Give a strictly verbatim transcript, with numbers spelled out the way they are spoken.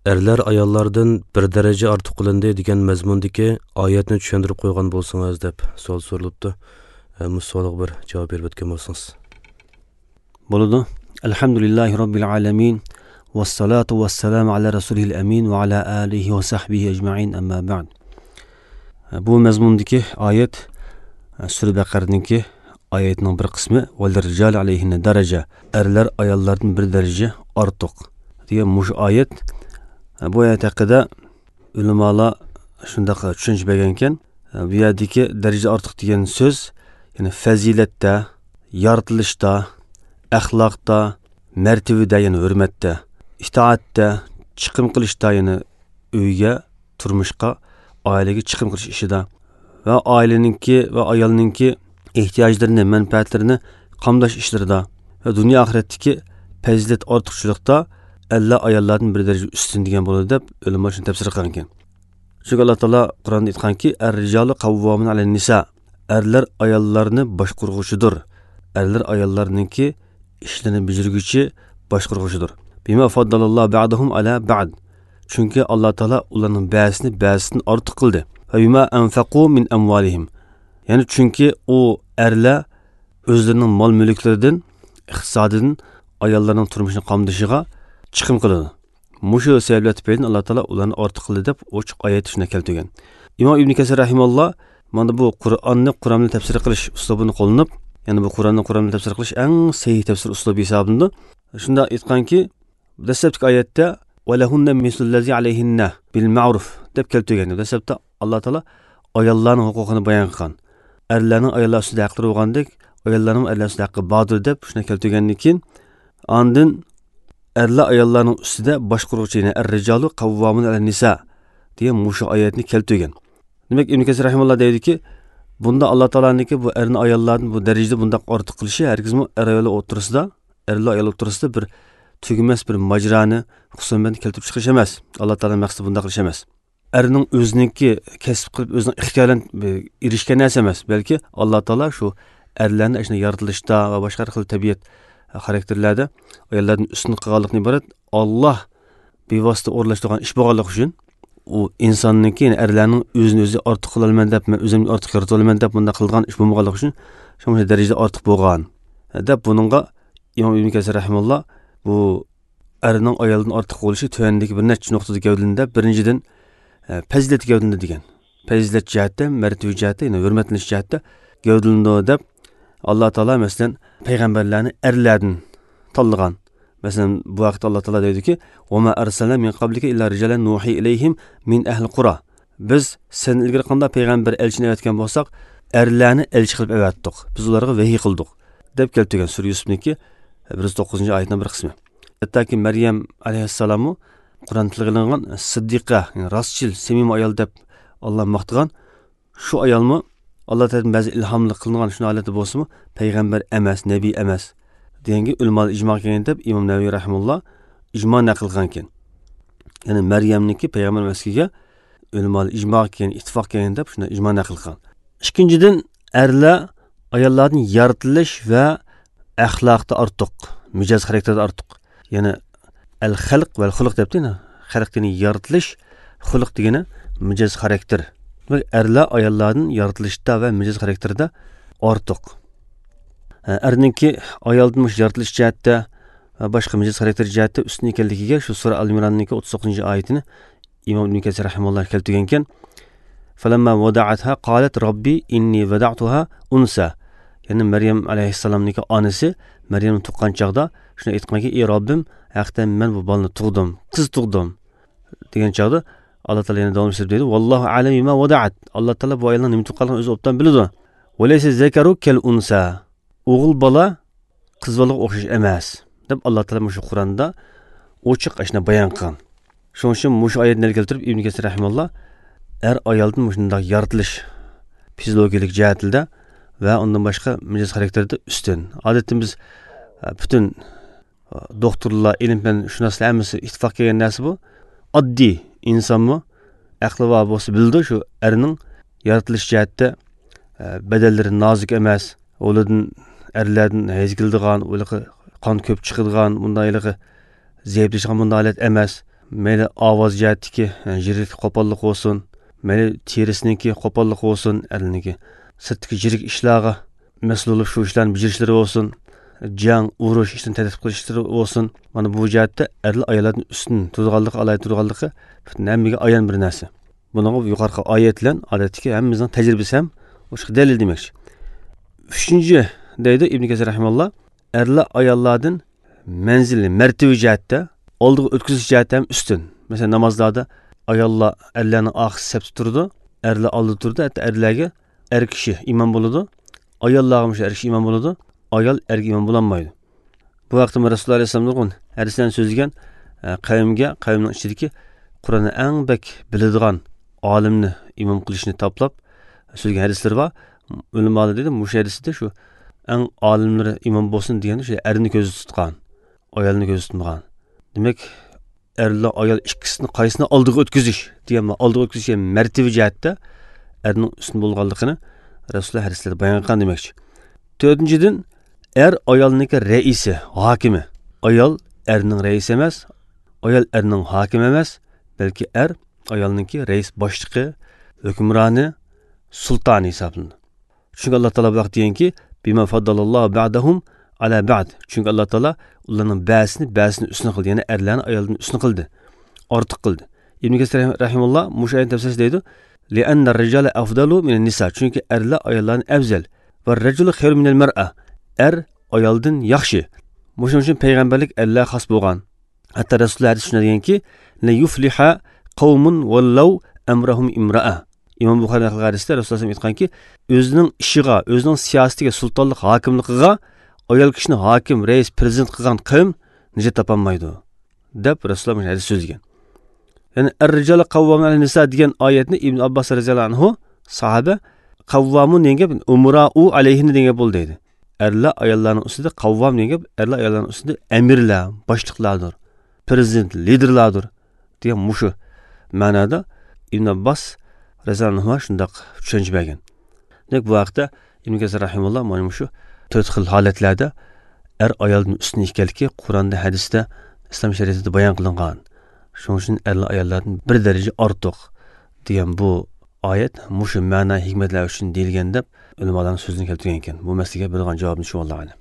Erlar ayollardan bir daraja ortiq qilindi degan mazmundagi oyatni tushuntirib qo'ygan bo'lsangiz deb savol so'ralibdi. Bu savolga bir javob berib o'tgan bo'lsangiz. Bo'ladi. Alhamdulillahi robbil alamin. Vassalatu vassalamu ala rasulil amin va ala alihi va sahbihi ecmaîn. Amma ba'd. Bu mazmundagi oyat Sura Baqaraningki oyatning bir qismi val rijal alayhinna daraja. Erlar ayollardan bir daraja ortiq degan mush oyat. Bu oyat haqida ulamolar shunday tushuncha bergan ekan. Bu yerdagi daraja ortiq degan so'z, ya'ni fazilatda, yaratilishda, axloqda, martabada, ya'ni hurmatda, itoatda, chiqim qilishda, ya'ni uyga, turmushga, oilaga chiqim qilish ishida va oilaningki va ayolningki ehtiyojlarini, manfaatlarini qamdash ishlarida va dunyo oxiratdagi fazilat ortiqchilikda alla ayollardan bir daraja ustun degan bo'ladi deb ulamo shuni tafsir qilgan ekan. Chunki Alloh taolo Qur'onda aytganki, er-rijalu qavvamun alan nisa. Erlar ayollarni boshqarg'uchidir. Erlar ayollarningki ishlarini bajarguvchi, boshqarg'uchidir. Bima faddalallohu ba'dahum ala ba'd. Chunki Alloh taolo ularning ba'zisini ba'zisidan ortiq qildi. Va bima anfaqu min amvalihim. Ya'ni chunki u erlar o'zlarining mol mulklaridan, iqtisodidan ayollarning turmushini qamdishiga chiqim qiladi. Mushu sabablar tufayli Alloh taolo ularni ortiq qildi deb ochiq oyat shuni keltirgan. Imom Ibn Kasir rahimahulloh mana bu Qur'onni Qur'on bilan tafsir qilish uslubini qo'llanib, ya'ni bu Qur'onni Qur'on bilan tafsir qilish eng sahih tafsir uslubi hisoblanadi. Shunda aytganki, dastlabki oyatda va lahunna mislullazi alayhinna bil ma'ruf deb keltirgan. Dastlabda Alloh taolo ayollarning huquqini bayon qilgan. Erlarning ayollar ustida haqlari bo'lgandek, ayollarning erlar ustida haqqi bordir deb shuni keltirgandan keyin andin erlar ayollarning ustida boshqaruvchi, ya'ni er-rijalu qavvamun alan nisa degan mushu oyatni keltirgan. Demak, Ibn Kasir rahimahulloh deydiki, bunda Alloh taoloniki bu erni ayollarni bu darajada bundaq ortiq qilishi hargizmi er ayollar o'rtasida, erlar ayollar o'rtasida bir tugamas bir majroni, husumatni keltirib chiqarish emas. Alloh taolo maqsadi bundaq qilish emas. Erning o'ziniki kasb qilib, o'zining ixtiyoran erishgan narsa emas, balki Alloh taolo shu erlarni shuni yaratilishda va boshqa xil tabiat xarakterlarda ayollardan ustun qilganlikni iborat Alloh bevosita o'rlashtirgan ish bo'lganligi uchun u insonniki, ya'ni erlarning o'zini o'zi ortiq qilaman deb, men o'zimni ortiq yarata olaman deb bunday qilgan ish bo'lmaganligi uchun shunday darajada ortiq bo'lgan deb buningga Imom Ibn Kasir rahimahulloh bu erning ayoldan ortiq bo'lishi tuvandagi bir necha nuqtada gavdalandi. Birinchidan fazilat gavdalandi degan. Fazilat jihatda, martaba jihatda, ya'ni hurmatlanish jihatda gavdalandi deb Alloh taolo masalan payg'ambarlarni erlardan tanlagan. Masalan bu vaqtda Alloh taolo deydiki: "Va ma arsalna min qablika illa rijalan nuhi ilayhim min ahli qura." Biz sen ilgari qanday payg'ambar elchini avatgan bo'lsak, erlarni elchi qilib avatdik. Biz ularga vahiy qildik deb keltirgan Sura Yusufniki bir yuz to'qqizinchi oyatning bir qismi. Hattoki Maryam alayhissalomni Qur'on tilga ilingan siddiqa, ya'ni rostchil, samimiy ayol deb Alloh maqtagan shu ayolmi Alloh tarafidan ba'zi ilhomli qilingan shuni holati bo'lsa-mu, payg'ambar emas, nabiy emas deganga ulamo ijmo qilgan deb Imom Navaviy rahimulloh ijmo naql qilgan ekan. Ya'ni Maryamniki payg'ambar emasligiga ulamo ijmo qilgan, ittifoq qilgan deb shuni ijmo naql qilgan. Ikkinchidan, erlar ayollarning yaratilish va axloqda ortiq, mijoz xarakterida ortiq. Ya'ni al-xalq va al-xuluq debdi. Xalq degani yaratilish, xuluq degani mijoz xarakter. Demak, erlar ayollarning yaratilishda va mijoz xarakterida ortiq. Erninki ayoldan mush yaratilish jihatda va boshqa mijoz xarakter jihatda ustun ekanligiga shu sura Al-Imronningki o'ttiz to'qqizinchi oyatini Imom Ibn Kasir rahimahulloh keltirgan ekan. Falamma wada'atha qalat robbi inni wada'tuha unsa. Ya'ni Maryam alayhissalomniki onasi Maryamni tuqqan chog'da shuni aytganki: "Ey Robbim, haqiqatan men bu bolani tug'dim, qiz tug'dim" degan chog'da Alloh taolo yana davom etib deydi: "Vallohu a'lamu bima wada'at." Alloh taolo bu ayolning nima tuqqanligini o'zi obdan biladi. Va laysa zakaru kal unsa. O'g'il bola qiz bolaga o'xshash emas deb Alloh taolo shu Qur'onda ochiq ashna bayon qilgan. Shuning uchun mushu oyatni keltirib Ibn Kasir rahimahulloh er ayoldan shunday yaratilish fiziologik jihatida va undan boshqa mijoz xarakterida ustun. Odatda biz butun doktorlar, ilm bilan shunoslar hammasi ittifoq kelgan narsa bu. Oddiy insonmi aqli bor bo'lsa bildi shu erning yaratilish jihatda badallari nozik emas, ulardan erlardan hayz keladigan, ularga qon ko'p chiqadigan, bunday zaiflashgan bunday holat emas. Mayli ovoz jihatdagi jirik qo'pollik bo'lsin, mayli terisiniki qo'pollik bo'lsin, erlarniki sirtdagi jirik ishlarga mas'ul bo'lib shu ishlarni bajarishlari bo'lsin, jang, urush ishini tartib qilishlari bo'lsin. Mana bu jihatda erlar ayollardan ustun turganligi, alayhi turganligi butun hammaga ayon bir narsa. Bunga yuqorqi oyatlar odatdagi hammamizning tajribasi ham o'sha dalil demakchi. Uchinchi deydi Ibn Kasir rahimahulloh, erlar ayollardan manzili, martaba jihatda, oldiga o'tkazish jihatda ham ustun. Masalan, namozlarda ayollar erlarning oxir safda turdi, erlar oldida turdi, hatto erlarga er kishi imom bo'ladi, ayollarga er kishi imom bo'ladi, ayol erga imom bo'lolmaydi. Bu vaqtda Rasululloh alayhissalom nurg'un hadislarni so'zlagan qavmga, qavmning ichidagi Qur'onni eng bak biladigan olimni imom qilishni toplab so'zlagan hadislar bor. Ulamolar dedi, mushu hadisda shu eng olimlari imom bo'lsin deganda shu erni ko'zda tutgan, ayolni ko'zda tutmagan. Demak, erlar ayol ikkisini qaysini oldiga o'tkazish degan, oldiga o'tkazish martaba jihatda erning ustun bo'lganligini Rasululloh hadislarda bayon qilgan demakchi. To'rtinchidan, er ayolniki raisi, hokimi. Ayol erning raisi emas, ayol erning hokimi emas, balki er ayolniki rais boshlig'i, hukmroni, sultoni hisoblanadi. Chunki Alloh taolo bu vaqt deganki, bima faddalallohu ba'dahum ala ba'd. Chunki Alloh taolo ularning ba'zisini ba'zisini ustun qildi, ya'ni erlarni ayoldan ustun qildi, ortiq qildi. Ibn Kasir rahimahulloh mushu oyatni tafsirida deydi, li'anna ar-rijala afdalu minan nisa. Chunki erlar ayollardan afzal va ar-rajulu khayru minal mar'a. Er ayoldan yaxshi. Shuning uchun payg'ambarlik erlarga xos bo'lgan. Hatto Rasululloh hadis shunday deganki, la yufliha qavmun wallau amrahum imra'a. Imom Buxoriy naql qilgan hadisda Rasululloh sollallohu alayhi vasallam aytganki, o'zining ishiga, o'zining siyosatiga, sultonlik hokimligiga ayol kishini hokim, rais, prezident qilgan qavm nijot topolmaydi deb Rasululloh hadis so'zlagan. Ya'ni ar-rijalu qawwamun 'alan nisa degan oyatni Ibn Abbos roziyallohu anhu sahoba qawwamun degan gap umra'u alayhinni degan gap bo'ldi deydi. Erlar ayollarning ustida qavvam degan gap, erlar ayollarning ustida amirlar, boshliqlardir, prezident, liderlardir degan mushu ma'noda Ibn Abbos roziyallohu anhu shundoq tushuncha bergan. Demak, bu haqda Ibn Kasir rahimahulloh mana shu to'rt xil holatlarda er ayolning ustun ekanligi Qur'onda, hadisda, islom shariatida bayon qilingan. Shuning uchun erlar ayollardan bir daraja ortiq degan bu oyat mushu ma'no hikmatlar uchun deyilgan deb ulamolarning so'zini keltirgan ekan. Bu masalaga bilgan javobni shu, Allohu a'lam.